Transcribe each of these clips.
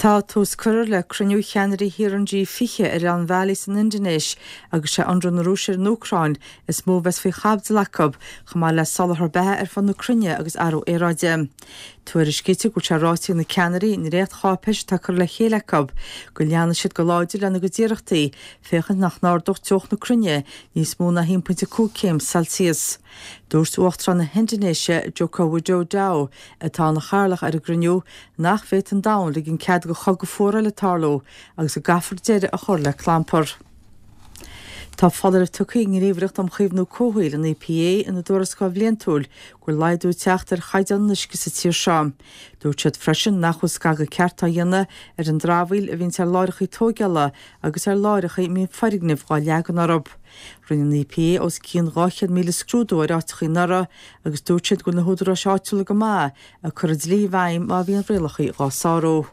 Tá tús curtha le cruinniú cheannairí thíortha an G20 ar oileán Bhali san Indinéis agus sé ionradh na Rúise ar an Úcráin is mó a bheas faoi chaibidil acu, chomh maith le soláthar beatha ar fud na cruinne agus athrú aeráide. Tuairiscítear go bhfuil sé ráite ag na ceannairí i ndréacht-cháipéis atá curtha le chéile acu go leanfaidh siad go láidir lena gcuid iarrachtaí féachaint nach n-ardódh teocht na cruinne níos mó ná 1.5 céim Celsius. Dúirt Uachtarán na hIndinéise, Joko Widodo, atá ina chathaoirleach ar an gcruinniú, nach bhféadfadh an domhan ligean cead do chogadh fuar eile tarlú agus go gcaithfear deireadh a chur le clampar. Tá foláireamh tugtha ag an nGníomhaireacht um Chaomhnú Comhshaoil, an EPA, ina dtuarascáil bhliantúil go bhfuil laghdú ag teacht ar chaighdeán an uisce sa tír seo. Dúirt siad freisin nach bhfuil scagadh ceart á dhéanamh ar an dramhaíl a bhíonns ar láithreacha tóigeála agus ar láithreacha a mbíonn foirgnimh dhá leagan orthu. Rinne an EPA os cionn 200,000 scrúdú ar áiteacha anuraidh agus dúirt siad go bhfuil na húdaráis áitiúla go maith ag cur an dlí i bhfeidhm má bhíonn rialacha dhá sárú.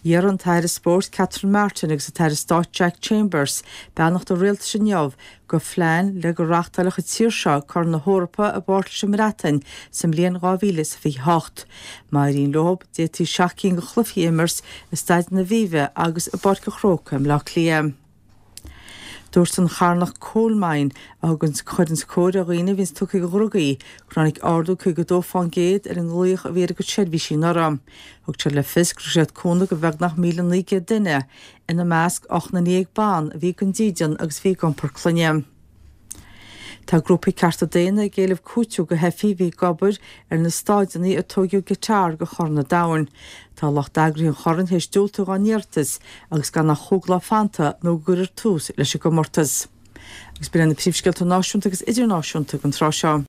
Iarr an tAire Spóirt Catherine Martin agus an tAire Stáit Jack Chambers beannacht an Rialtais inniu do phlean le go reáchtálfadh an tír seo Corn na hEorpa i bpáirt leis an mBreatain sa mbliain 2028. Má éiríonn leo, d'fhéadfaí 7 cinn de chluichí a imirt i Staid an Aviva agus i bPáirc an Chrócaigh i mBleá Cliath. Dúirt an charthanacht Coalmine, a thugann chuireanns cóir ar dhaoine a bhíonns tugtha do dhrugaí, gur tháinig ardú 52% ar an nglaoch a bhí ar a gcuid seirbhísí anuraidh. Thug siad le fios gur thug siad cúnamh do bheagnach 1,900 duine, ina measc 18 nduine ban a bhí gan dídean agus a bhí ag iompar clainne. Tá grúpaí cearta daonna ag éileamh cúiteamh do theifigh a bhí ag obair ar na staideanna a tóigeadh i gCatar do Chorn an Domhain. Tá lucht eagraithe an choirn théis diúltú dá n-iarratas agus gan ach chúig lá fanta nó go gcuirfear tús leis an gcomórtas. Agus b'in iad na príomhscéalta náisiúnta agus idirnáisiúnta don tráth seo.